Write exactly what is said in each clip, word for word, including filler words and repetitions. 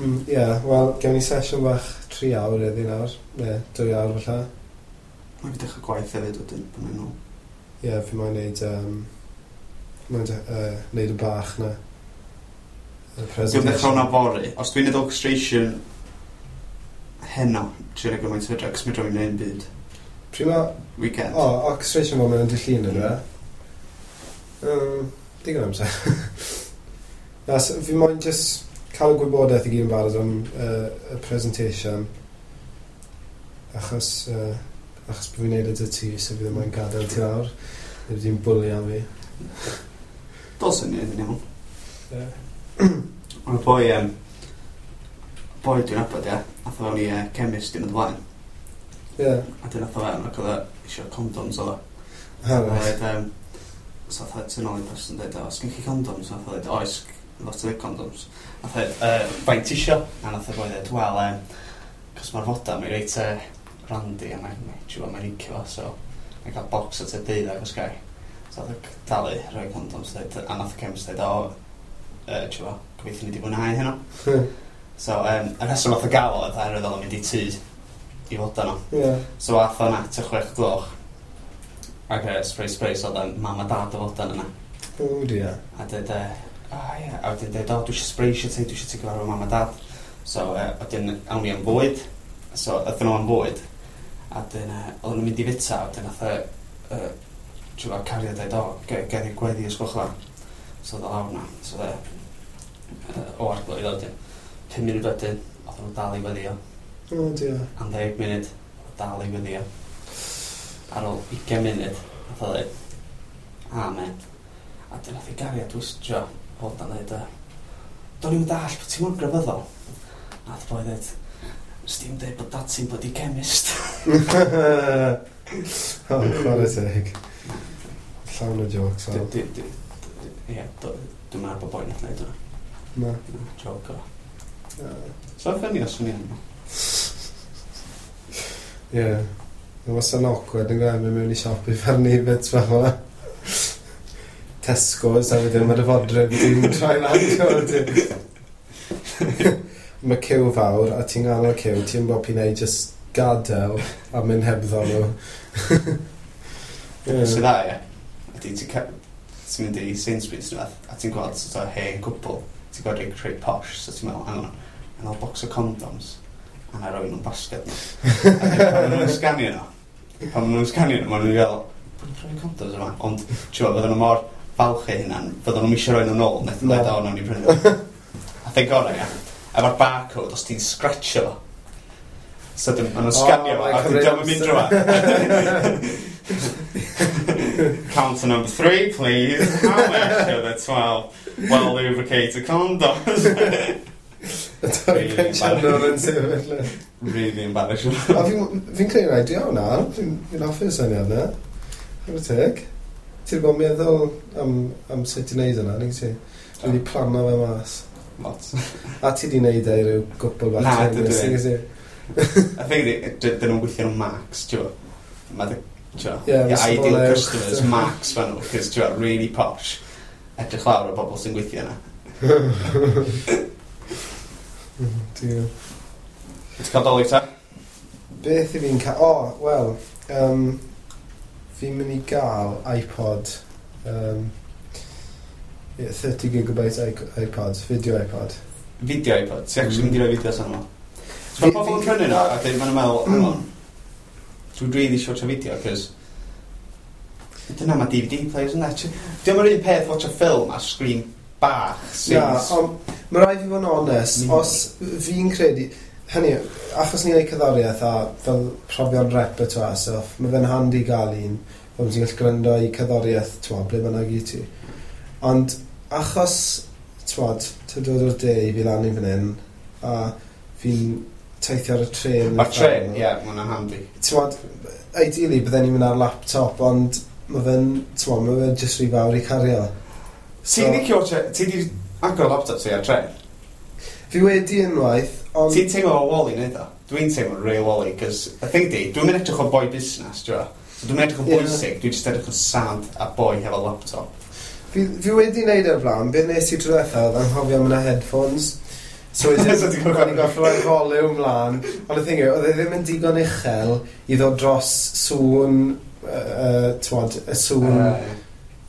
Mm, Ie, yeah, wel, gewn ni sesiwn bach tri awr iddi nawr. Ne, dwy awr falle. Mae fi dechrau gwaith hefyd wedyn, pan mae'n ôl. Ie, yeah, fi moyn neud, um, moyn de, uh, neud y bach na. Y Dwi'n dechrau hwnna fory. Os dwi'n neud orchestration heno, trio neud gymaint o hyder, cos mi droi i'n neud byd. Pryd ma... Weekend. O, orchestration fo'n mynd yn dy llun yna. Um, digon amser. Na, so, fi moyn just cael y gwybodaeth i gyd yn barod am uh, y presentation. Achos, uh, achos bod fi'n neud e dy ti, so fi ddim moyn gadael ti lawr. Neu ti'n bwli am fi. Dylswn ni yn iawn. Ie. Ond y boi, um, boi dwi'n nabod, ia, ath o fewn i uh, chemist yn y blaen. Ie. A dyn ath o fewn ac oedd o eisiau condoms oedd o. Ha, A right. oedd, um, so ath o tu nôl i person dweud, "O, os gen chi condoms?" Ath o dweud, "Oes, lot o condoms." Ath o dweud, uh, "Faint ti isio?" A nath o boi dweud, "Wel, um, cos mae'r foda, mae'n reit uh, randy a mae'n mae, mae'n licio fo, so mae'n cael box at y deuddeg os gai." So ath o dalu, rhoi condoms, dweud, a nath y chemist dweud, "O, uh, ti'n gwbo, gobeithio ni wedi mwynhau heno." So, um, y rheswm nath o gael o, oedd oherwydd oedd o'n mynd i tŷ i fod yno. Ie. So ath o'n at y chwech gloch. Ac uh, surprise, surprise, oedd o'n mam a dad o fodan yna. O, dear. A dweud, uh, "O ie," a wedyn dweud, "O, dwi eisiau surprise ti, dwi eisiau ti gyfarfod mam a dad." So, uh, wedyn, awn ni am fwyd. So, aethon nhw am fwyd. A wedyn, uh, oedden nhw'n mynd i fita, a wedyn nath y, uh, ti'n gwbod, cariad dweud, "O, ge- gedd i'r gweddi os gwelwch dda." So, oedd o lawr na. So, oedd e, uh, o arglwydd, a wedyn, pum munud wedyn, oedden nhw dal i weddio. O, dear. Am ddeg munud, oedd o dal i weddio. Ar ôl ugain munud, nath o dweud, "Amen." A dyn nath i gariad wystio, fod yn dweud, "Do'n i'n dall bod ti'n mor grefyddol." Nath boi dweud, "Nes ti'n dweud bod dad ti'n bloody chemist." O, chwarae teg. Llawn o jokes, Dwi- o. dwi- dwi- dwi- Ie, do- dwi'n meddwl bod boi nath wneud hwnna. Na. Na, joke o. Na. So, funny os o'n i yn. Ie. Mae wastad yn awkward yn gwneud mynd mewn i siop i farnu bits fel yma. Tesco's a wedyn mae'r fodryb ti'n troi lan. Ti'n gwbod? Mae ciw fawr a ti'n ganol ciw, ti'n bod pi'n ei just gadael a mynd hebddo nhw. Ie. Sydd dda, ie. Ydy, ti'n ca- ti'n mynd i Sainsbury's neu beth, a ti'n gweld sort of hen cwpl, ti'n gweld rhai rhai posh, so ti'n meddwl, "Hang on, hang on, box o condoms, a na roi nhw'n basket nhw." A wedyn pan maen nhw'n sganio nhw, pan maen nhw'n sganio nhw, maen nhw'n gael, "Pwy rhoi condoms yma?" Ond, ti'n gwybod, fydden nhw mor falch eu hunan, fydden nhw'n eisiau rhoi nhw nôl, wnaeth nhw'n Na. dweud, "O, nawn ni prynu nhw." A thing gorau, ia, efo'r barcode, os ti'n scratcho fo, so dyn, maen nhw'n sganio fo, mae'n a wedyn cymryd diolch yn mynd drwa. "Counter number three, please. How much are the twelve well lubricated condoms?" Y dau pensiynwr yn sefyll. Really embarrassing. A fi'n fi credu rai, di hwnna, fi'n fi hoffi'r syniad na. Chwarae teg. Ti wedi bod yn meddwl am, am sut i wneud yna, nag ti? Dwi wedi plano fe mas. Lot. A ti wedi wneud e i ryw gwpl bach Na, tennis, dydw i. nag ti? I think dyn nhw'n gweithio nhw max, ti'n gwbod. Mae dy, ti'n gwbod, Ie, your ma' ideal safonau uwch. customers max fan nhw, cos, ti'n gwbod, really posh. Edrych lawr o bobl sy'n gweithio yna. Diw. Ti'n cael Dolig ta? Beth i fi'n cael? O, oh, wel, um, fi'n mynd i gael iPod. Um, yeah, thirty gigabyte i- iPod, video iPod. Video iPod. Ti'n actually Mm. mynd i roi fideos arno fo? So mae Fi- pobl yn fi- prynu nhw, a dyn maen nhw'n meddwl, "Hang on, dwi'n really eisiau watch a video," cos dyna mae D V D players yna. Dim yr un peth watch a film ar screen bach sy'n Na, ond mae rhaid fi fod yn onest, Mm. os fi'n credu, hynny, yw, achos ni'n gwneud cerddoriaeth a fel profion repertoire stuff, mae fe'n handi gael un, fel ti'n gallu gwrando i cerddoriaeth, t'mod, ble bynnag i ti. Ond achos, t'mod, ti'n dod o'r de i fi lan i fan hyn, a fi'n teithio ar y tren. Mae'r tren, ie, mae hwnna'n handi. T'mod, ideally bydden ni'n mynd ar laptop, ond mae fe'n, t'mod, mae fe'n just rhy fawr i cario. Ti'n licio watch ti di agor laptop ti ar tren? Fi wedi unwaith, ond Ti'n teimlo o Wally neud o? Dwi'n teimlo real Wally, cos y thing di, dwi'n mynd edrych o boi busnes, ti'n gwbod? So dwi'n mynd edrych o Ie. bwysig, dwi'n just edrych o sad a boi hefo laptop. Fi, fi wedi wneud e'r blaen, beth nes i tro diwetha oedd anghofio am yna headphones. So wedyn, So ti'n gorfod- o'n i'n gorfod rhoi volume mlaen. Ond y thing yw, oedd e ddim yn digon uchel i ddod dros sŵn, uh, uh, t'mod, y sŵn,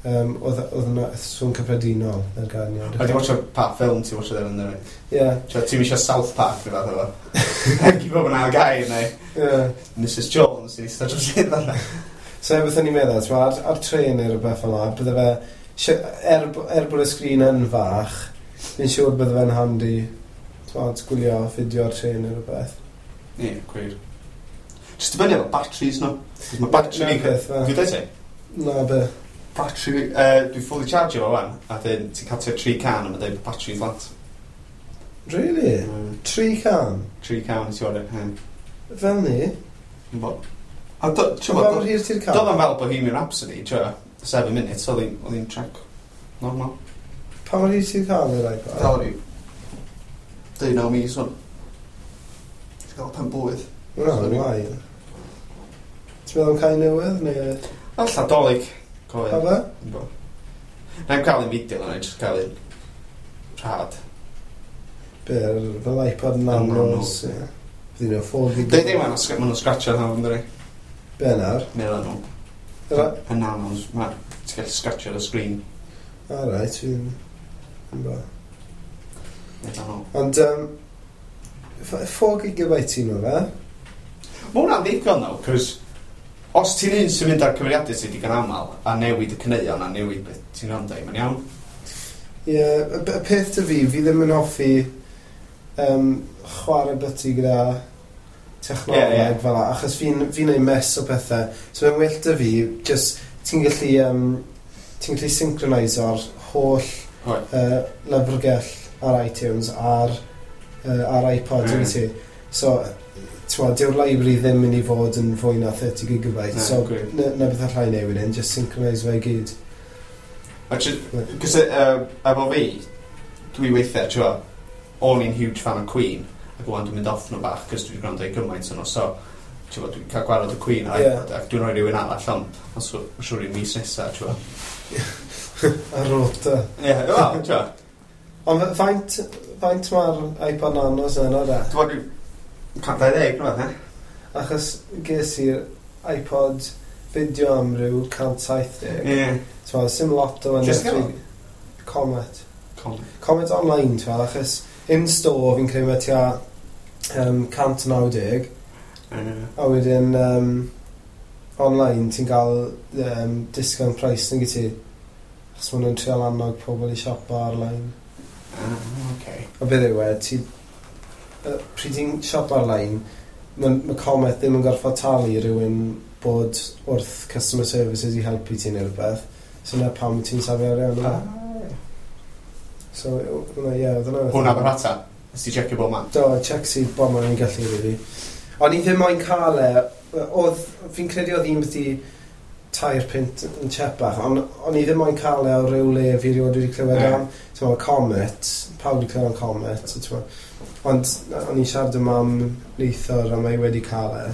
Yy, um, oedd oedd yna sŵn cyffredinol ar ganiad. A ti'n watcho pa ffilm ti'n watcho ddim yn dweud? Ie, Ti'n eisiau South Park neu fath o fo? Gi bob yn ail gair neu ie. Missus Jones sy'n eistedd dros un fel So beth o'n i'n meddwl, t'mo, ar, ar tren neu rhywbeth fel 'na, bydde fe, si- er, er bod y sgrin yn fach, fi'n siŵr bydde fe'n handi, t'mod, gwylio fideo ar tren neu rhywbeth. Ie, gwir. Just dibynnu efo batteries nhw. Cos mae battery Na fi. beth, fe. Dwi'n dweud ti? Na be. Battery fi... Uh, dwi'n fully charge fo wan. A dyn ti'n cael tua tri can a mae'n dweud bod battery flat. Really? Mm. Tri can? Tri can ti o'r e. Fel ni? Bo. A do, ti'n Pa bod, mor hir ti'n cael? doedd o'n fel Bohemian Rhapsody, ti'n Seven minutes, oedd hi'n oedd hi'n track normal. Pa mor hir ti'n cael yr iPad? Dal rhyw deunaw mis o'n. Ti'n cael pen blwydd. Na, wael. Ti'n meddwl am cael newydd, neu... Alla Dolig. Pa Cofio. fe? Bo. Na'n cael un fideo, na'n just cael un rhad. Be, fel iPod Nanos, ie. Fydd nhw four gig. Dweud ddim, maen nhw'n scratcho nhw, ynddi? Be nawr? Meddwl nhw. Yr- Y nanos, ma, ti'n gallu scratcho ar y sgrin. O, reit, fi'n... Fi'n bo. Meddwl nhw. Ond, um, four gigabyte un o fe? Mae hwnna'n ddigon though, cos os ti'n un sy'n mynd ar cyfrifiadur ti digon aml a newid y caneuon a newid beth ti'n rando i, mae'n iawn. Ie, yeah, y y peth 'da fi, fi ddim yn hoffi um, chwarae byty gyda technoleg Ie, ie. fel 'na, achos fi'n fi neud mess o pethau. So mae'n well 'da fi, just, ti'n gallu, um, ti'n gallu synchroniso'r holl Oed. uh, lyfrgell ar iTunes ar, uh, ar iPod, Mm. mm. ti. So, ti'n dyw'r library ddim mynd i fod yn fwy na thirty gigabyte, Na, so gwir. na, na beth allai neud wedyn, just synchronise fe i gyd. Cos uh, efo fi, dwi weithiau, ti'n gwbod, o'n i'n huge fan o Queen, ac wan dwi'n mynd off nhw bach, cos dwi'n gwrando i gymaint o'n nhw, so, ti'n gwbod, dwi'n cael gwared o Queen ar Ie. iPod, ac dwi'n rhoi rhywun arall, ond, ond so, ma' siŵr i'n mis nesaf, ti'n gwbod. Ar rota. Ie, wel, ti'n gwbod, Ond faint, faint mae'r iPod Nanos yna da? dwi'n gwbod, cant dau ddeg, rhywbeth, ne? Achos ges i'r iPod fideo am ryw cant saith deg. Ie. T'mo, sim lot o Jyst wahaniaeth. Comet. Com. Comet online, t'mo, achos in store fi'n credu mae tua um, cant naw deg. Ie. A wedyn um, online ti'n cael um, discount price nag i ti. Achos maen nhw'n trial annog pobl i siopa ar-lein. Ah, oce. A beth yw e, ti... Uh, pryd ti'n siopa ar-lein, mae ma Comet ddim yn gorfod talu rhywun bod wrth customer services i helpu ti neu rhywbeth. So na pam ti'n safio arian yna. Ah, ie. So, hwnna, ie, oedd hwnna. Hwnna Aberhata. Nes ti checio bob man? Do, check i bob man i'n gallu, really. O'n i ddim moyn cael e, oedd, fi'n credu oedd un beth i tair punt yn chepach, ond o'n i ddim moyn cael e o ryw le fi rioed wedi clywed Ie. am. Ti'n meddwl, Comet, pawb wedi clywed am Comet, so ti'n meddwl. Ond o'n i'n siarad â mam neithiwr a mae hi wedi cael e.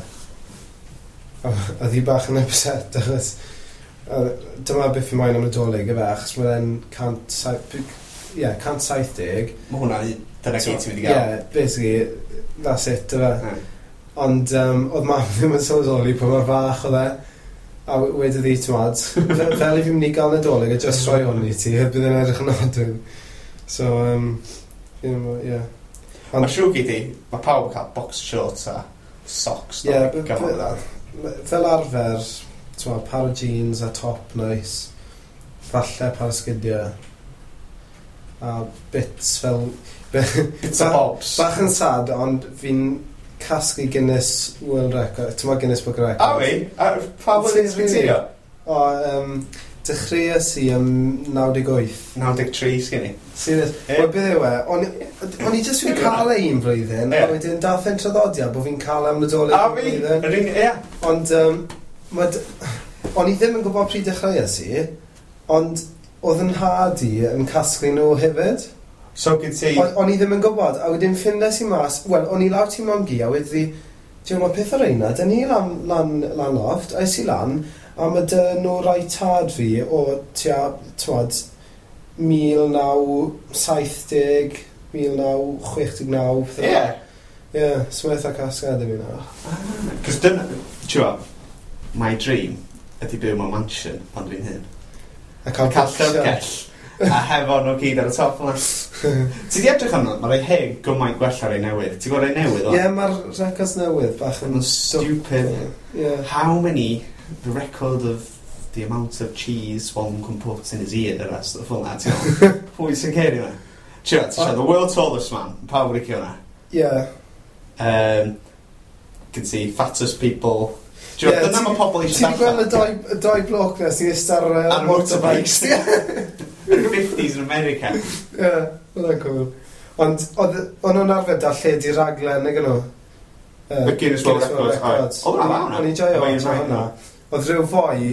A oedd hi bach yn upset achos a dyma beth fi moyn am Nadolig efe, achos mae'n cant saith, ie, cant saith deg. Mae hwnna, dyna gyd ti'n mynd i gael. Yeah, basically, that's it, dyfe. Ie. Ond um, oedd mam ddim yn sylweddoli pa mor fach oedd e. A we- wedodd hi, t'mod, fel fel i fi mynd i gael Nadolig a just rhoi hwn i ti, bydd yn edrych yn od. So, um, you know, yeah. Ond Mae'n siŵr gyd i, mae pawb yn cael box shorts a socks. Ie, yeah, b- b- fel arfer, t'mod, par o jeans a top nice, falle par o sgidiau, a bits fel... Bits a bobs. Bach yn sad, ond fi'n casglu Guinness World Record, ti'n Guinness Book of A Records. fi? A pa flwyddyn ti'n Really? trio? O, um, dechreuais i ym naw deg wyth. naw deg tri sgyn i. Serious. Ie. Wel, beth yw e, o'n i- o'n i jyst wedi cael e un flwyddyn, Ie. a wedyn dath e'n traddodiad bod fi'n cael e am Nadolig A un fi? flwyddyn. Yr un, ie. Ond, um, ma d- o'n i ddim yn gwybod pryd dechreuais i, ond oedd yn nhad i yn casglu nhw hefyd. So gyd ti... O- O'n i ddim yn gwybod, a wedyn ffindes i mas, wel, o'n i lawr tŷ mam-gu, a wedi, ti'n gwybod, peth o'r reina, dyn ni lan, lan, lan loft, a es i lan, a mae 'da nhw rai tad fi o tua, t'mod, mil naw saith deg mil naw chwech naw. Ie. Ie, so mae'n eitha casgliad i fi nawr. Cos dyna, ti'n gwbod, my dream ydy byw mewn mansion pan dwi'n hyn. A cael Cael bookshelf. llyfrgell. A hefo nhw gyd ar y top yna. Ti di edrych arno, mae rhai hen gymaint gwell ar ei newydd. Ti'n gweld rhai newydd o? Ie, mae'r records newydd bach yn Yn stupid. Ie. How many, the record of the amount of cheese one can put in his ear a stuff fel na, ti'n gwbod? Pwy sy'n ceir i hwnna? Ti'n gwbod, ti'n siarad, the world's tallest man, pawb licio hwnna. Ie. Um, can see fattest people. Ti'n gwbod, Ie, dyna ti- mae pobl Ti eisiau wedi gweld y doi, y doi bloc na sy'n eistedd ar uh, Ar motorbikes? motorbikes. Yn y fifties in America. Ie, oedd cool. Ond oedd o'n nhw'n arfer darlledu raglen, nag nhw? Uh, The Guinness World Records, oedd. Oedd hwnna'n dda, hwnna. O'n i'n joio Efo watcho un hwnna. Oedd rhyw foi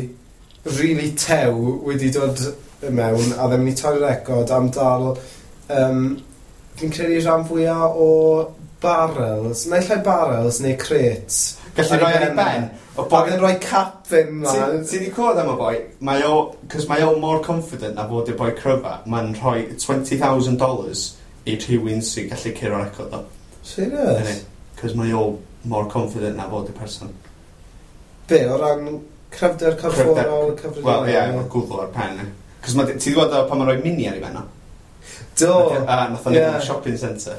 really tew wedi dod mewn a ddim wedi torri record am dal, um, fi'n credu rhan fwyaf o barrels, naill ai barrels neu crates. Gallu Ar rhoi ei ar ei ben. ben. O A boi oedd e'n rhoi cap fynd Ti mlaen. ti 'di clywed am y boi? Mae o, cos mae o mor confident na fod i'r boi cryfa, mae'n rhoi twenty thousand dollars i rhywun sy'n gallu curo record o. Serious? Cos mae o mor confident na fod i'r person. Be, o ran cryfder corfforol, cyffredinol? Wel, ie, yeah, gwddw ar pen. Cos mae, ti 'di gweld o pan mae'n rhoi mini ar ei ben o? Do, A nath o'n Ie. yeah. shopping centre.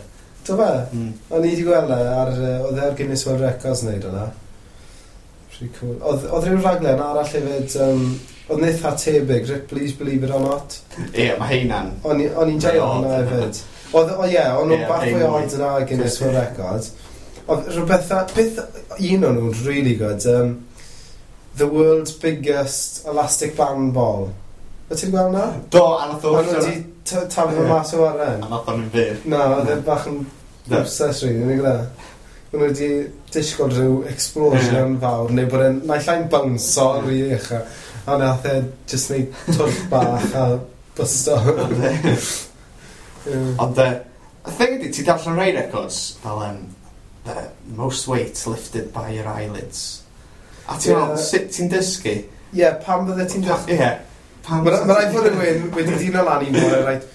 Do fe? Mm. O'n i wedi gweld e ar, yy, oedd e ar Guinness World Records wneud hwnna. Pretty cool. Oedd, oedd rhyw raglen arall hefyd, um, oedd yn eitha tebyg, Ripley's Believe It or Not. Ie, yeah, mae heina'n. O'n i- o'n i'n joio Mae hwnna odd. hefyd. Oedd, o ie, o'n nhw'n Ie, bach fwy ein oed yna Guinness World Records. Oedd rhywbeth, beth, un o'n nhw'n really good, um, The World's Biggest Elastic Band Ball. Wyt ti'n gweld hwnna? Do, a nath o O'n nhw wedi taflu Ie. fo mas o waren. A nath o'n mynd fyr. Na, oedd e bach yn Do. obsessed really, nag yna. O'n nhw wedi disgwyl rhyw explosion fawr, neu bod e'n naill ai'n bounce-o rhy ucha. A nath e just neud twll bach a bysto. Ie. Ond, uh, y thing ydi, ti darllen rhai records fel um, the most weight lifted by your eyelids. A ti'n Ie. meddwl, sut ti'n dysgu? Ie, pam bydde ti'n Pa- dechrau? Ie. Pam Mae ma rhaid fod rhywun wedi dino lan un bore, right,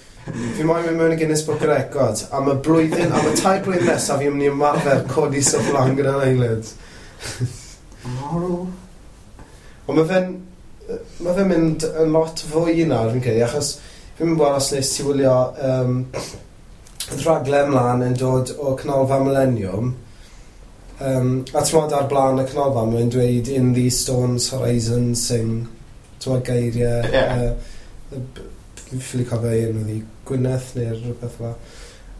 fi moyn mynd mewn i Guinness Book of Records, am y blwyddyn, am y tair blwyddyn nesaf fi'n mynd i ymarfer codi stwff lan gyda'n eyelids. Moral. Ond mae fe'n mae fe'n mynd yn lot fwy nawr, fi'n credu, achos fi'n mynd gweld os nes ti wylio um, rhaglen mlaen yn dod o Canolfan Millennium. Um, a ti'n modd ar blaen y Canolfan, mae'n dweud "In these stones horizons sing", ti'n modd geiriau. Ie. Uh, fi'n ffili cofio un oedd hi, Gwyneth neu rhywbeth fel.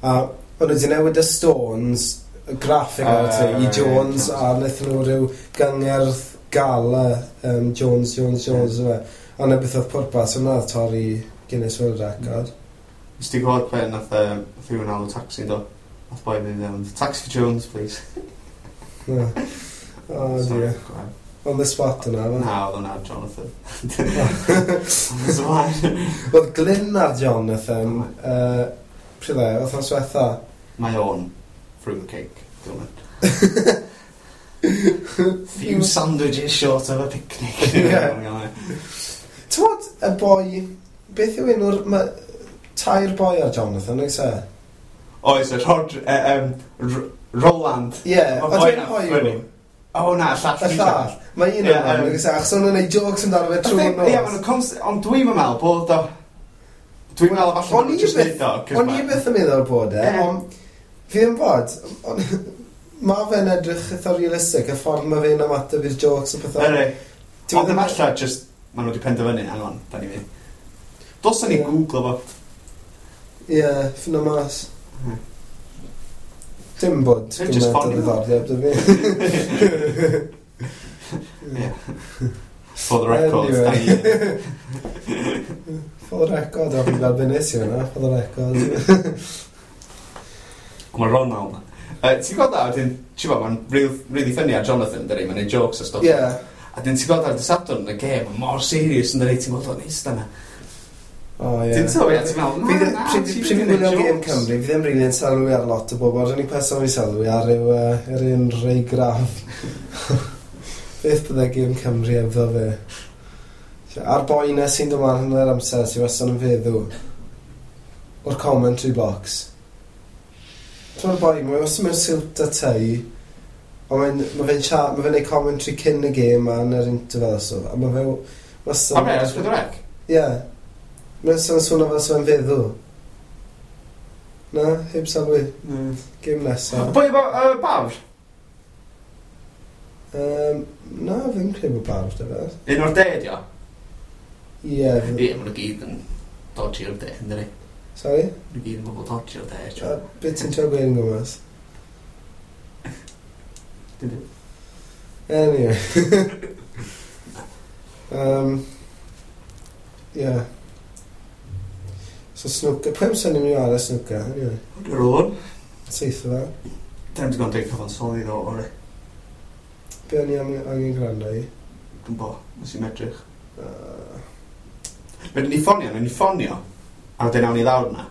A o'n nhw wedi newid y stones, y graphic uh, Ah, i ie, Jones, Jones. a wnaethon nhw rhyw gyngerdd gala um, Jones, Jones, Jones, mm. A na beth oedd pwrpas, hwnna oedd torri Guinness World Record. Nes ti gweld pe nath, um, nath rhywun alw taxi, do? Nath boi mynd mewn, "Taxi for Jones, please." No. Oh Sorry, dear. go ahead. On the spot yna, fe. Na, oedd hwnna Jonathan. Ond ymlaen. Oedd Glyn ar Jonathan, uh, pryd e, wythnos diwetha. Mae o'n fruitcake, dwi'n mynd. Few sandwiches short of a picnic. Ie. Ti'n bod y boi, beth yw enw'r, ma, tair boi ar Jonathan, oes e? Oes, y Rod, uh, um, R Roland. Ie, Ma' ond boi dwi'n 'na hoyw. funny. O na, llall. Y llall. Mae un Ie, o'n yym. oes e, achos o'n nhw'n neud jokes amdano fe trwy'r Ie, nos. ma' nhw'n const- ond dwi'n meddwl bod o. Dwi'n meddwl falle O'n bod i nhw'n just byth- neud o, 'cause O'n i ma' byth yn meddwl bod e, Ie. ond fi ddim bod. Ond mae fe'n edrych eitha realistig, y ffordd mae fe'n ymateb i'r jokes a pethau. Ydy. Ti'n Ond meddwl- efallai just, ma' nhw wedi penderfynu, hang on, da ni fi. Dylsen ni Ie. Googlo fo. Ie, ffindo mas. Mm. Dim bod Dim just gymaint o ffonio. ddiddordeb 'da fi. Ie. For the record, Anyway. da ni. For the record, o, fi'n gweld be nes i hwnna, for the record. Mae Ronald. Uh, ti'n gweld da, wedyn, ti'n gweld, mae'n real, really funny ar Jonathan, dydi, mae'n neud jokes a stwff. Ie. A dyn ti'n gweld ar dy Sadwrn yn y gêm, mae'n mor serious yn dydi, ti'n gweld o'n eistedd yna. O, ie. Ti'n sylwi, a ti'n meddwl, Fi na, ddim- na, pryd ti'n pryd fi'n neud gwylio gêm jokes. Cymru, fi ddim rili'n sylwi ar lot o bobl. Yr unig person fi sylwi ar yw uh, yr un Ray Graff. Beth bydde gêm Cymru efo fe? A'r boi na sy'n dod mlaen yn yr amser sy'n wastad yn feddw. O'r commentary box. Ti'n boi, mae wastad mewn siwt a tie, ond mae'n ma fe'n siarad, ma fe'n neud commentary cyn y gêm a yn yr interval a so, a mae fe wastad... O be, S pedwar C? Ie. Mae'n sôn swnio fel sy'n feddw. Na, heb sylwi. Mm. Gêm nesa. Boi efo uh, bawr? Um, na, fi'n credu bod bawr 'da fe. Un o'r de, di o? Ie. Ie, fi- maen nhw gyd yn dodgy o'r de, yndyn ni? Sorry? Maen nhw gyd yn bobl dodgy o'r de. A beth ti'n trio gweud yn gwmws? Dim byd. Anyway. um, yeah. So snooker. Pwy amser ni'n mynd i chwarae snooker? Anyway. Yr o'n. Seith o fe. Dyn ni'n gwybod dweud cyfansoddi ddo, o'r Be o'n i am- angen gwrando i? Dwi'n bo, nes i'n edrych. Uh, Wedyn ni ffonio, ni ffonio, a wedyn awn ni lawr na.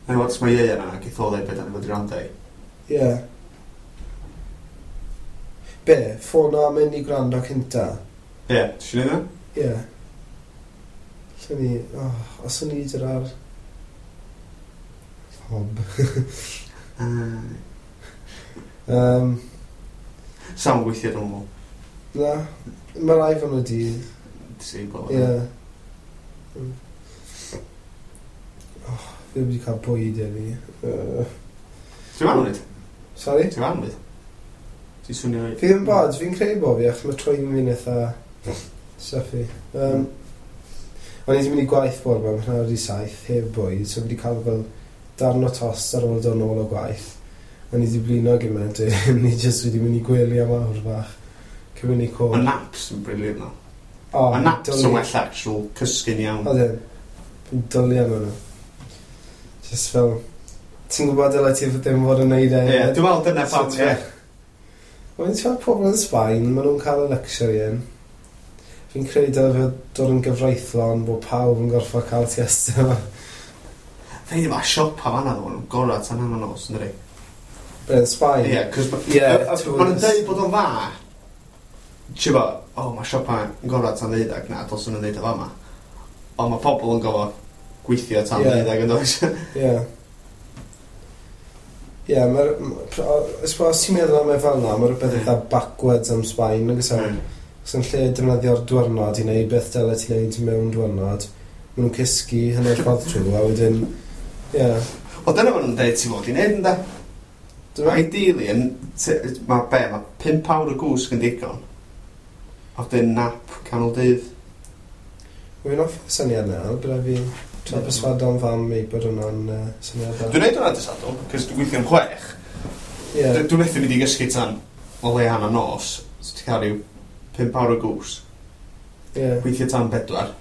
Na'n gweld os mae Ieuan yna, geith o ddeud beth o'n i fod i wrando i. yeah. Be? Ffono a mynd i gwrando cynta? Ie, ti eisiau neud Ie. Yeah. Lle ni... Oh, os o'n i gyda'r... Hob. na? Um, Sa'n gweithio dwi'n meddwl. na. Mae'r iPhone wedi... Disable. Ie. Mm. Oh, fi wedi cael bwyd heddi. Uh, Ti'n anwyd? sorry? Ti'n anwyd? Ti'n swnio... Fi ddim bod, fi'n credu bod fi, achos mae trwyn fi'n eitha stuffy. Um, o'n i wedi mynd i gwaith bore 'ma, mae'n wedi saith, heb bwyd, so fi wedi cael fel darn o tost ar ôl dod nôl o gwaith. O'n i wedi blino gymaint, ni jyst wedi mynd i gwely am awr fach. Cyn mynd i côr. Mae naps yn brilliant no. O, Mae naps dwlu. yn well actual cysgu'n iawn. Odyn. Fi'n dwlu am hwnna. Just fel... Ti'n gwybod dylai ti ddim fod yn neud e. Ie, dwi'n meddwl dyna pam, So, ie. Mae'n ti'n pobl yn Sbaen, maen nhw'n cael y luxury yn. Fi'n credu dylai fe dod yn gyfreithlon bod pawb yn gorfod cael siesta yma. Fe ddim a siopa fan'na ddo, maen nhw'n gorau tan hanner nos, ynddi? Be, yn Sbaen? Ie, cos Ie, maen nhw'n dweud bod o'n dda. Ti'n bo, o, mae siopa yn gorau tan ddeuddag, na, dylswn nhw'n dweud o fama. Ond mae pobl yn gorfod gweithio tan Ie. ddeuddag yn does? Ie. Ie, mae'r... Os os ti'n meddwl am e fel 'na, mae rhywbeth eitha backwards am Sbaen, nag oes e? Os yn lle defnyddio'r diwrnod i wneud beth dyle ti'n wneud mewn diwrnod, maen nhw'n cysgu hanner ffordd trwy, a wedyn... Ie. Wel, dyna maen nhw'n dweud ti'n fod i wneud, ynde? Dyma? Ideally, yn, t- mae be, mae pump awr o gwsg yn digon. A wedyn nap canol dydd. Wy'n off y syniad na, bydde fi trio perswado'n fam i bod hwnna'n uh, syniad da. Dwi'n neud hwnna dydd Sadwrn, cos dwi'n gweithio am chwech. Ie. Dwi- Dwi'n methu mynd i gysgu tan o leia hanner nos. So ti'n cael rhyw pump awr o gwsg. Ie. Gweithio tan bedwar.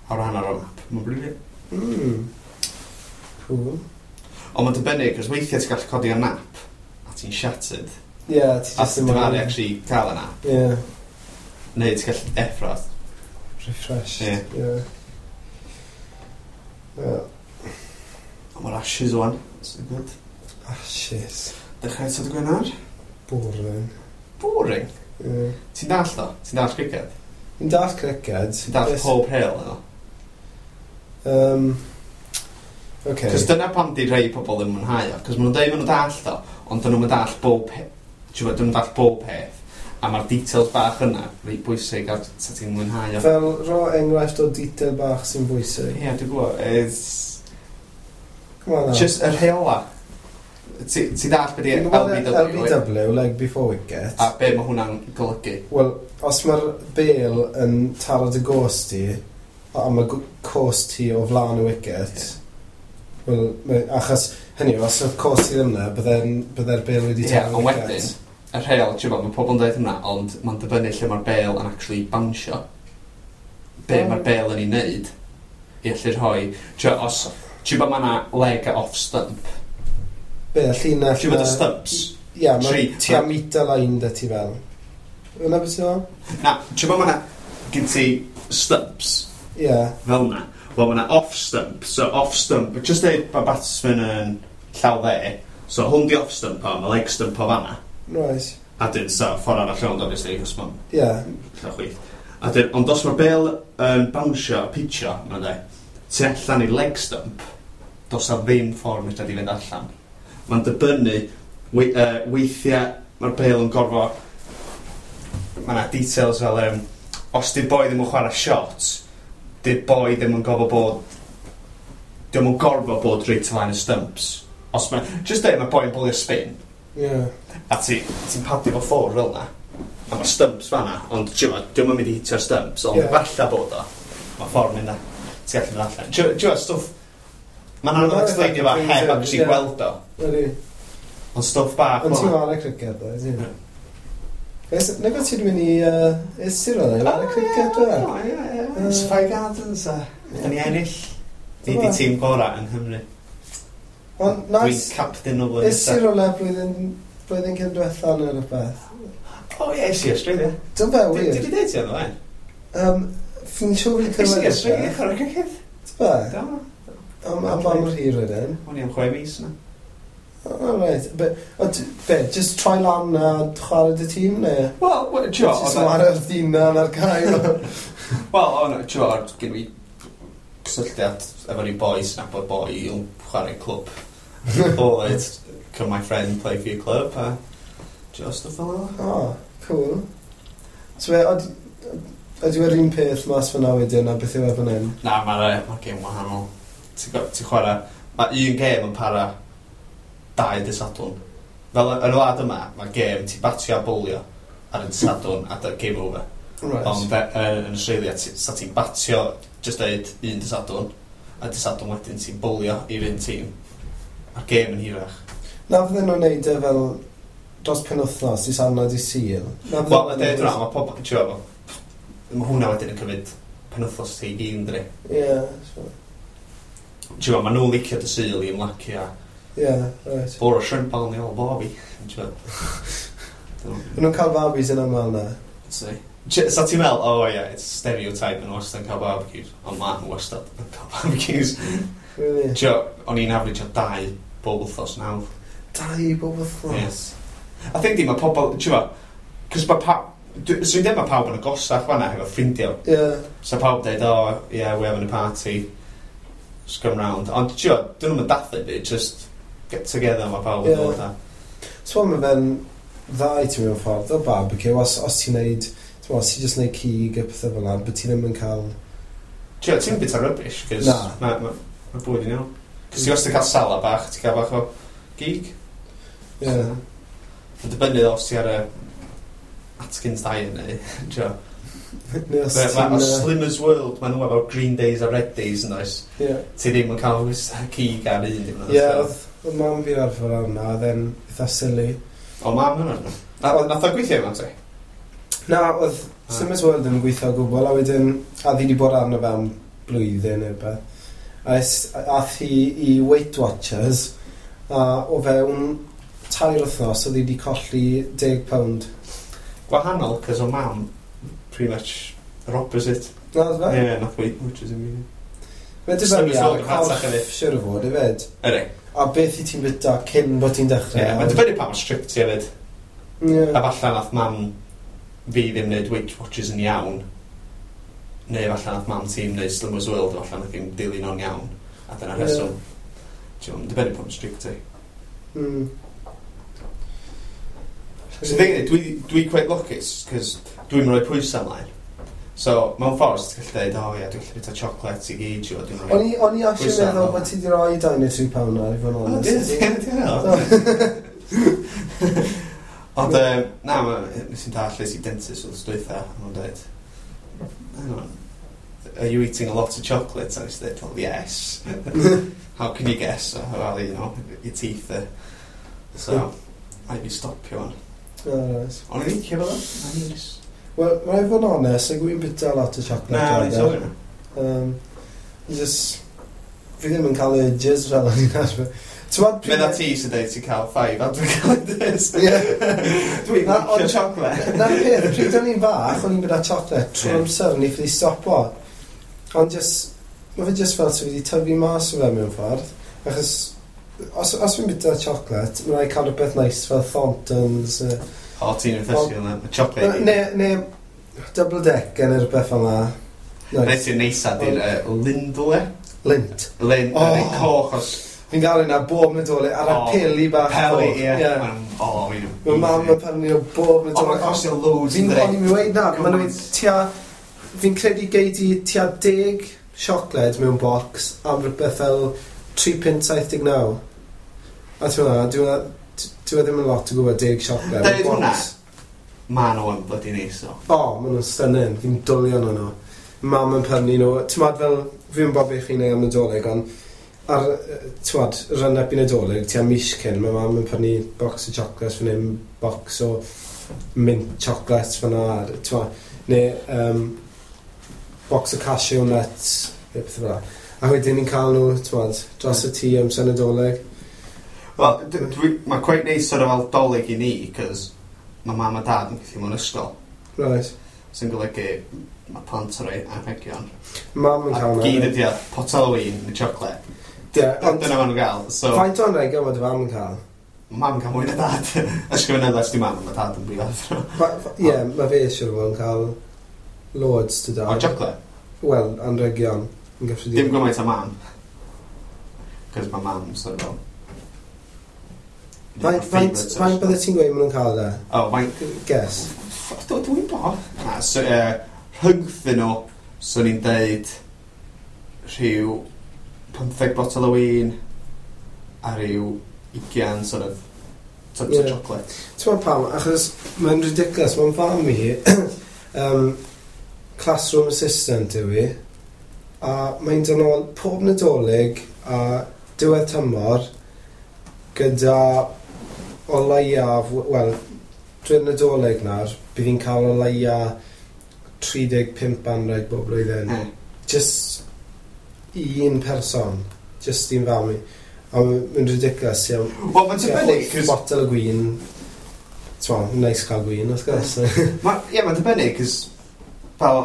Awr a hanner o nap. Mae'n brilliant. Mm. Cool. Ond mae'n dibynnu, cos weithiau ti'n gallu codi o nap, a ti'n shattered. Ie, ti A jyst ti'n ddim dyfaru actually cael y nap. Ie. Neu ti'n gallu effro. Refreshed. Ie. Ie. Ie. Ond mae'r Ashes wan. So good. Ashes. Dechrau eto dy Gwener? Boring. Boring. Ie. Ti'n dall o? Ti'n dall cricket? Fi'n dall cricket. Ti'n dall Beth- pob rheol yno? Um, okay. Cos dyna pam di rhai pobl ddim yn mwynhau o. Cos maen nhw'n dweud maen nhw'n dall o, ond dyn nhw'n dall bob peth. Ti'n gwbod, dyn nhw'n dall bob peth. A mae'r details bach yna, reit bwysig a sa ti'n mwynhau o. Fel ro enghraifft o detail bach sy'n bwysig. Ie, dwi'n gwybod. It's Come on now. just y rheola. Ti ti dall beth i Fi'n gwybod L B W, L B W, leg before wicket. a be mae hwnna'n golygu. Wel, os mae'r bel yn taro dy goes ti, a mae gw- coes ti o flaen y wicket, wel, mae- achos, hynny yw, os oedd coes ti ddim yna, bydde'n- bydde'r bel wedi Ie, taro'r ond wicket. wedyn, y rheol, ti'n gwbod, mae pobl yn dweud hwnna, ond mae'n dibynnu lle mae'r bel yn actually bounsio. Be O. mae'r bel yn ei wneud i allu rhoi... Ti'n gwbod, os... Ti'n gwbod mae yna leg a off stump. Be, y llinell... Ti'n gwbod y na- stumps? Ie, mae Tri. ti a meter line 'da ti fel. Yna beth ti'n meddwl? Na, ti'n gwbod mae yna... Gyn ti stumps Ie. fel na. Wel, mae yna off stump. So off stump, just deud mae batsman yn llaw dde. So hwn di off stump o, mae leg stump o fanna. Right. A dyn, so, ffordd arall rownd, obviously, cos mae'n Ie. llaw chwith. A dyn, ond os mae'r bel yn bounsio a pitcho, mae'n dweud, tu allan i leg stump, dos na ddim ffordd medra di fynd allan. Mae'n dibynnu, we, uh, weithiau mae'r bêl yn gorfod, mae yna details fel, um, os di'r boi ddim yn chwarae shot, di'r boi ddim yn gorfod bod, di'm yn gorfod bod reit o flaen y stumps. Os mae, just dweud mae boi yn bowlio spin, Ie. a ti, ti'n padio fo ffwrdd fel na, a mae stumps fanna, ond ti'n di'm yn mynd i hitio'r stumps, ond Ie. yeah. falle bod o, mae ffordd mynd na, ti'n gallu mynd allan. Ti'n gwybod, stwff, mae'n anodd Ie, explainio fo heb actually ie. gweld o, Ydy. ond stwff bach Ond fel ti'n 'na. chwarae cricket, ddo, ydy? Ys, nag o ti'n mynd i... Uh, Is ti roedd e? Cricket, dwi? O, ie, ie. It's Five Gardens, a da ni ennill. Ni di Dyma. tîm gorau yng Nghymru. Ond Dwi'n nice. captain o flwyddyn Is ti nesaf. rhywle blwyddyn, blwyddyn cyn diwetha neu rhywbeth? O ie, es i Australia. Dwi'n fe, Dwi wir. di dweud ti o'n dweud? Um, Fi'n siŵr fi'n Es i clywed Australia, chwarae cricket. Ti'n fe? Do. Am, am ba mor hir wedyn? O'n i am chwe mis na. Oh, right. Be, ond, be, just troi lan a chwarae dy tîm, neu? Wel, wel, ti'n Ti'n gwbod, chwarae'r ddinan ar gael? Wel, o'n, ti'n gwbod, gen fi cysylltiad efo ni boys, nabod boi i'w chwarae clwb. O, it's, can my friend play for your club? A, just stwff fel yna. Oh, cool. So, be, od- ydy e'r un peth mas fyna wedyn, a beth yw e fan hyn? Na, mae'r ma gêm wahanol. Ti'n go- ti'n chwarae... Mae un gêm yn para dau dy Sadwrn. Fel yn y wlad yma, mae gêm ti'n batio a bowlio ar y Sadwrn a dy game over. Right. Ond fe, yn, yn Australia, ti, sa ti'n batio just deud un dy Sadwrn, a dy Sadwrn wedyn ti'n bowlio i'r un tîm. Mae'r gêm yn hirach. Na fydden nhw'n neud e fel dros penwthnos, i Sadwrn a di Sul. Na fydden Wel, y nhw'n deud hwnna, mae pobl... Ti'n gwbod, mae hwnna wedyn yn cymryd penwthnos ti i gyd, ynddi? Ie, so- Ti'n gwbod, mae nhw'n licio dy Sul i ymlacio a ie, right. Bore o shrimp on the old barbie. Ti'n gwbod? Maen nhw'n cael barbies yn aml na. See. Sa ti'n meddwl, oh yeah, it's stereotype, maen nhw wastad yn cael barbecues. Ond ma nhw wastad yn cael barbecues. Really? Tio, o'n i'n average o dau bob wythnos nawr. Dau bob wythnos. Yes. I think di, mae pobl, ti'n gwbod, cos mae pawb, swn i'n dweud mae pawb yn agosach fanna hefo ffrindiau. Ie. So pawb dweud, oh, yeah, we're having a party, just come round. Ond, ti'n gwbod, dyn nhw'n dathlu byd, just get together, mae pawb yn Ie. dod a. So mae fe'n dda i ti mewn ffordd o barbecue, os, os ti'n neud, ti'n os ti'n just neud cig a pethau fel 'na, but ti ddim yn cael... Ti'n gwbod, ti'n bit o rubbish, cos Na. mae ma, ma bwyd yn iawn. Cos ti wastad cael salad bach, ti'n cael bach o gig. Ie. Mae'n dibynnu os ti ar y Atkins diet neu, ti'n gwbod. Neu os Ma- ti'n... ma- yy, Slimmers World, maen nhw efo green days a red days yn oes. Ie. Ti ddim yn cael cig ar un dim. Ie, oedd oedd mam fi'n arfer arna, oedd e'n eitha silly. O, mam hwnna. Na, nath o gweithio efo ti? Na, oedd Ah. Slimmers World ddim yn gweithio o gwbl, a wedyn, a ddi wedi bod arno fe am blwyddyn neu beth. A es- ath hi i Weight Watchers, a o fewn tair wythnos, oedd hi wedi colli deg pound. Gwahanol, cos o mam, pretty much yr opposite. Na, oedd fe? Ie, yeah, nath Weight Watchers yn gweithio. Mae'n dibynnu Slimmers ar World y yn rhatach corff, hefyd. siŵr o fod, hefyd. Ydy. A beth i ti'n byta cyn bod ti'n dechrau. Ie, mae'n dibynnu pa mor strict ti hefyd. Ie. A falle nath mam fi ddim wneud Weight Watchers yn iawn. Neu falle nath mam ti'n wneud Slimmers World, falle nath hi'n dilyn o'n iawn. A dyna Ie. rheswm. Ti'n gwbod, dibynnu pa mor strict ti. Mm. So thing is, dwi, dwi quite lwcus, cos dwi'n rhoi pwysau ymlaen. So, mewn ffordd, ti'n gallu dweud, oh ie, dwi'n gallu bwyta chocolate i gyd, ti'n gwbod, dwi'n rhoi... O'n i, o'n i actually Pwysau meddwl arno. bod ti wedi rhoi dau neu tri pound ar i fod yn O, onest. di- di- di- Ond, yym, na, ma- nes i'n dall es i dentist wrth dwytha, a nhw'n dweud, hang on, are you eating a lot of chocolate? A nes i dweud, well, yes. How can you guess? Oh, well, you know, your teeth are... So, rhaid fi stopio hwn. O, reit. Ond i'n licio fel o, na nice. Wel, mae'n rhaid fod yn onest, like, wy'n bwyta lot o chocolate. Na, rather. ni'n sylwi na. Um, just, fi ddim yn cael urges fel o'n i'n arfer. Ti'n gwbod pryd- Medda ti sy'n dweud ti'n cael five advent calendars. Ie. Dwi'n Na, licio ond- chocolate. Na'r peth, pryd o'n i'n fach, o'n i'n byta chocolate trwy Ie. amser, o'n i ffili stopo. Ond just, mae fe just fel sydd wedi tyfu mas o fe mewn ffordd. Achos, os, os fi'n byta chocolate, mae'n rhaid cael rhywbeth nice fel Thorntons. Uh, O, ti'n fussy yna. Chocolate. neu, neu double deck neu rhywbeth fel 'na. Nice. Nice. Ti'n neisa di'r uh, Lindle. Lindt. Lind, Oh. oh. coch os Fi'n gael yna bob Nadolig ar y O, peli bach. Peli, coch. ie. Ie. Ma'n- O, fi'n... Mae mam yn prynu nhw bob O, mae'n Nadolig. costio loads Fi'n yn o'n i'n dweud na, maen nhw Gymaint. tua... Fi'n credu gei di tua deg siocled mewn bocs am rhywbeth fel tri punt saith deg naw. A ti'n meddwl, dyw e ddim yn lot o gwybod deg siocled mewn Deud hwnna. bocs. Ma nhw yn bloody neis, o. O, maen nhw'n stunning. Fi'n dwlu arno nhw. Mam yn prynu nhw. Ti'n meddwl fel, fi'n bod beth chi'n neud am Nadolig, ond ar, yy, ti'n meddwl, run-up i Nadolig, tua mis cyn, mae mam yn prynu box o chocolates fan hyn, box o mint chocolates fyna, ti'n meddwl, neu um, box o cashew nuts, neu beth fel 'na. A wedyn ni'n cael nhw, ti'n meddwl, dros y tŷ amser Nadolig. Wel, d- dwi- mae quite neis sort of fel Dolig i ni, cos mae mam a dad yn gweithio mewn ysgol. Right. Sy'n golygu mae plant yn rhoi anrhegion. Mam yn A cael gyd nhw. ydi o, potel o win, neu chocolate. Ie, ond Dyna maen nhw'n gael. So, faint o anrhegion mae dy fam yn cael? Mam yn cael mwy na dad. Ysgrifennu di mam, mae dad yn brifathro. Fa- fa- Ie, mae fe siŵr o fod yn cael loads dy O, dad. chocolate? Wel, anrhegion yn Dim gyffredinol. gymaint o mam. Cos mae mam sort of fel... Faint, faint, faint bydde ti'n gweud maen nhw'n cael e? O, faint... Guess. Dw- Dwi'n bo. Na, so, uh, rhyngthyn nhw, swn i'n deud rhyw pymtheg botel o win a rhyw ugian sort of tubs Ie. o chocolate. Ti'n meddwl pam? Achos mae'n ridiculous. Mae'n fam i, um, classroom assistant yw i, a mae'n dod nôl pob Nadolig a diwedd tymor gyda o leiaf, wel, drwy'r Nadolig nawr, bydd hi'n cael o leia tri deg pump anreg bob blwyddyn. Mm. Just un person. Just un fam i. A mae'n ridiculous. Ie, Wel, mae'n dibynnu, wyth cos... botel o gwin. T'mo, nice cael gwin, wrth gwrs. Ma, ie, mae'n dibynnu, cos fel,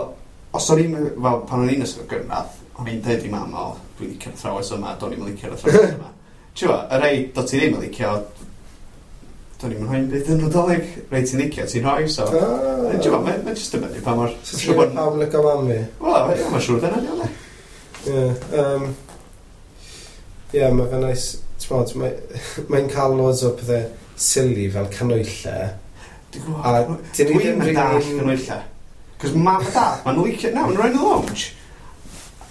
os o'n i'n, fel, pan o'n i'n ysgol gynradd, o'n i'n deud i mam, "O, dwi'n licio'r athrawes yma, do'n i'm yn licio'r athrawes yma." Ti'n gwbo, y rei do ti ddim yn licio, do'n i'm yn rhoi'n byd yn Nadolig, rei ti'n licio, ti'n rhoi, so. Ah. Ti'n gwbo, mae'n ma just dibynnu pa mor... So ti'n gwybod pawb yn licio mam fi? Wel, ie, mae'n siŵr dyna, diolch. Ie. Um, Ie, mae fe'n nice. T'mod, mae- mae'n cael loads o pethau silly fel canwyllau. Dwi'n gwybod. A dyn ni Dwi'n ddim mynd dall rili'n- canwylla. Cos mam a dad, ma'n licio, na, ma'n rhoi yn y lounge.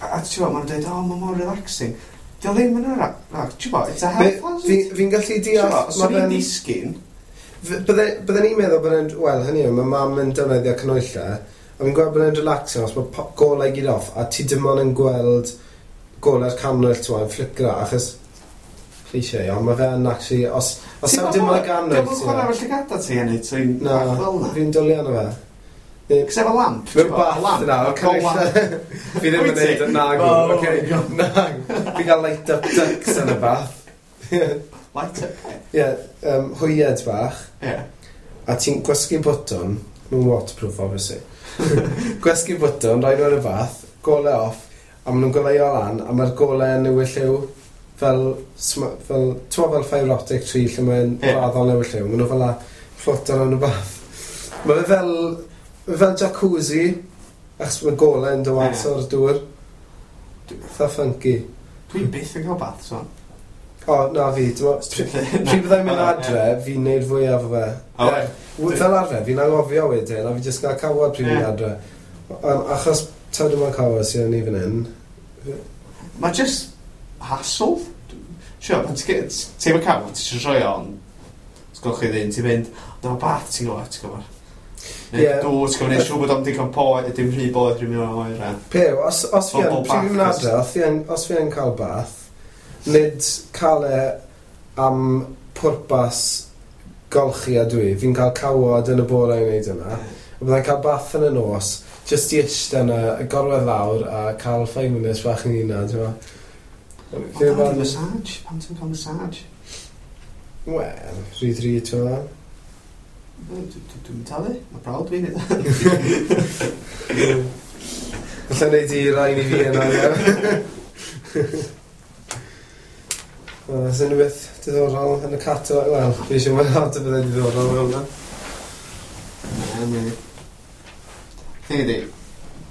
A a ti'n gwbod, ma'n dweud, "O, mae mor relaxing." Di o ddim yn relax, ti'n gwbod, it's a health hazard. Fi'n fi gallu Ti'n deall... gwbod, os ma' o'n i'n fe'n- disgyn, F- Bydde bydden ni'n meddwl bod e'n... Wel, hynny yw, mae mam yn defnyddio canwyllau, a fi'n gweld bod e'n relaxing os mae po- golau gyd off, a ti dim ond yn gweld golau'r cannwyll, ti'n yn flickro, achos cliché, ond mae fe yn actually... Os, os Ti'n am dim ond y gannwyll, Dwi'n chwarae efo llygada ti yn neud ti'n Na, bach fel na. fi'n dwlu arno fe. Cos efo lamp, Mewn ti'n gwbod, bath lamp, yna, a golau. canwyll. Fi ddim yn Wyt ti? neud y nagw, Oh oce. my God. Nag. Fi'n cael light up ducks yn y bath. Light up. Ie, um, hwyed bach. Ie. A ti'n gwasgu bwtwn, mae'n waterproof obviously. Gwasgu bwtwn, rhoi nhw yn y bath, golau off, a maen nhw'n goleuo lan, a mae'r golau yn newid lliw fel, sm- fel, ti'n fel fibre optic tree lle mae'n Ie. raddol newid lliw, maen nhw fel a floato yn y bath. Mae fe fel, mae fel jacuzzi, achos mae golau yn dod mas Ie. o'r dŵr. Eitha funky. Dwi'n byth yn cael bath, so. O, na fi, ti'n mo- Pryd pryd byddai'n mynd adre, fi'n neud fwyaf o fe. O, Ie. W- Fel arfer, fi'n anghofio wedyn, a fi jyst gael cawod pryd fi'n Ie. adre. Um, achos taw dim ond cawod sydd yn ni fan hyn. Mae just hassle. Sure, pan ti'n ti efo cawod, ti eisiau rhoi on, ti'n golchi ddyn, ti'n mynd, ond efo bath, ti'n gwybod, ti'n gwybod. Neu Ie. dŵr, ti'n gwybod, neud siŵr bod o'm digon poeth, dim rhy boeth, rhy mynd oer. a- Pew, os, os fi yn, Bobl pryd fi'n mynd bach, adre, os fi yn, os fi yn cael bath, nid cael e am pwrpas golchi a dwi, fi'n cael cawod yn y bore i wneud yna. A byddai'n cael bath yn y nos, just i eistedd yna, a gorwedd lawr a cael five minutes bach yn hunan, ti'n gwbod. Ond Fi'n dad, fel- massage, pam ti'n cael massage? Wel, rhy ddrud, ti'n gwbod. Dwi- dwi- Dwi'n talu, mae brawd fi'n neud. Alla wneud i rhain i fi yna, ie. Oes unrhyw beth diddorol yn y catalog? Wel, fi eisiau mwyn lot o bethau diddorol fel hwnna. Na, na. Thing ydi,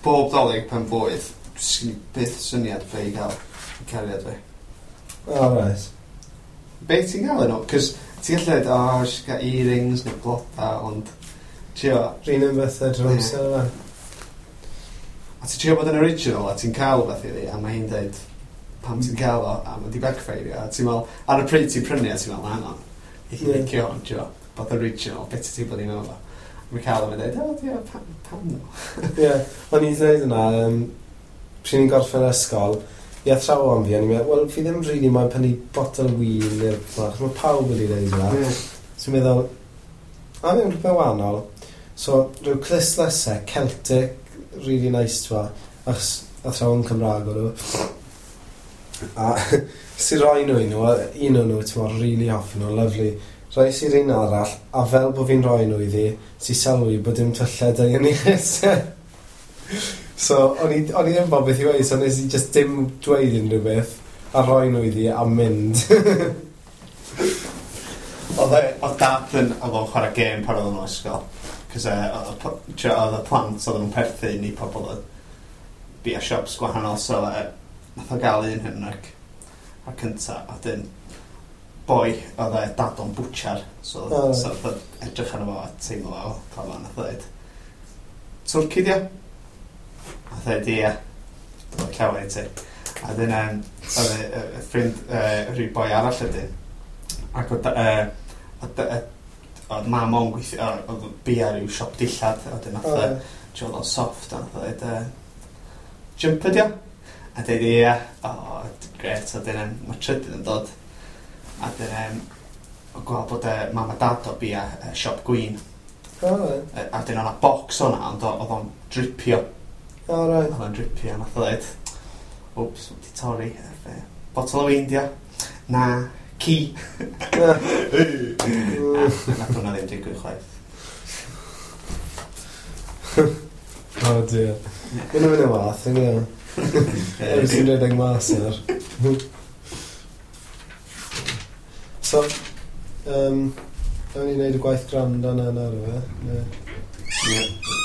bob Dolig pen blwydd, sgyn i byth syniad be i gael i cariad fi. Oh, right. Be ti'n gael nhw? Cos ti'n gallu dweud, "O, oh, eisiau cael earrings neu bloda," ond trio, Rhan un bethau drwy'r Ie. amser yna. A ti'n trio bod yn original a ti'n cael rhywbeth iddi, a mae hi'n dweud, "Pam ti'n cael o?" A mae di backfire, a ti'n meddwl, ar y pryd ti'n prynu, a ti'n meddwl, "Hang on, i Ie. licio hwn, trio, bod original, beth ti'n bod i'n meddwl o?" Mae'n cael o, mae'n dweud, "O, ie, pam, pam no?" Ie, o'n i'n dweud yna, um, pryd ni'n gorffen ysgol, i athrawon fi, o'n i'n meddwl, "Wel, fi ddim really moyn prynu botel win neu beth," mae pawb wedi dweud yna. Ie. So i'n meddwl, a ddim rhywbeth wahanol. So, rhyw clustdlysau, Celtic, really nice, twa, achos athrawon Cymraeg o'n nhw. A sy'n rhoi nhw i nhw, a un o'n nhw, ti'n meddwl, really hoffi nhw, lovely. Rhoi sy'r un arall, a fel bod fi'n rhoi nhw iddi, sy'n sylwi bod dim tyllau da yn ei clusau. So, o'n i, o'n i ddim bod beth i weud, so nes i just dim dweud unrhyw beth, a rhoi nhw iddi a mynd. Oedd e- oedd dad yn, oedd o'n chwarae gêm pan oedd o'n ysgol. Cos e, oedd y p- trio- oedd y plant oedd nhw'n perthyn i pobl oedd bia shops gwahanol, so e, nath o gael un hyn ac a cynta, a dyn boi, oedd e dad o'n bwtsiar, so, O. so oedd o'n edrych arno fo a teimlo fo, o, fo, nath o dweud, "Twrci di o?" Nath o dweud, "Ie, dwi'n llawer i ti." A dyn, um, oedd y, y, y ffrind, uh, rhyw boi arall ydyn, ac oedd, uh, oedd, yy, oedd mam o'n gweithio, oedd bia rhyw siop dillad, a wedyn nath o, O, trio oedd o'n soft, a nath o dweud, uh, "Jumper di o?" A dweud, "Ie." "O, gret," a dyn, um, mae trydydd yn dod. A dyn, um, o gweld bod uh, mam a dad o bia uh, siop gwin. O, right. Uh, a dyn o'na bocs o'na, ond o- oedd o'n dripio. O, right. Oedd o'n dripio, a nath o dweud, "Wps, wedi torri. Uh, Bottle o win di o?" "Na, ci." Na. Na, nath hwnna ddim digwydd chwaith. Oh dear. Mae'n mynd yn wath, yng Nghymru. Ewch sy'n rhedeg mas nawr. So, um, ewn ni wneud y gwaith gwrando yna nawr, efe? Ne. Ie.